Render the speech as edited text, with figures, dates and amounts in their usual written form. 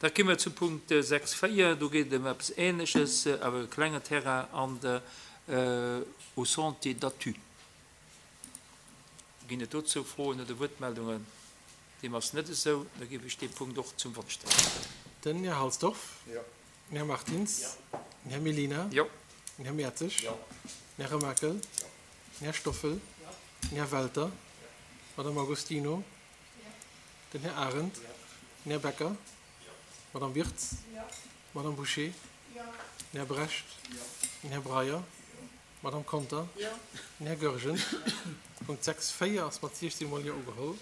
Da komme mer zum Punkt 6, 4. Do geet et ëm eppes Ähnleches, awer e klenge Terrain an der au Sentier d'Athus. Ginn et dozou Froen oder Wuertmeldungen? Deem ass net esou. Da géif ech dee Punkt och zum Vott stellen. Den Här Halsdorf. Jo. Den Här Martins. Jo. Den Här Mellina. Jo. Den Här Mertzig. Jo. Den Här Remakel. Jo. Den Här Stoffel. Jo. Den Här Welter. Jo. D'Madame Agostino. Jo. Den Här Arendt. Jo. Den Här Becker. Jo. D'Madame Wirtz. Jo. D'Madame Bouché. Jo. Den Här Brecht. Jo. Den Här Breyer. Jo. D'Madame Conter. Jo. Den Här Goergen. Punkt 6, 4 ass mat 16 mol Jo ugeholl.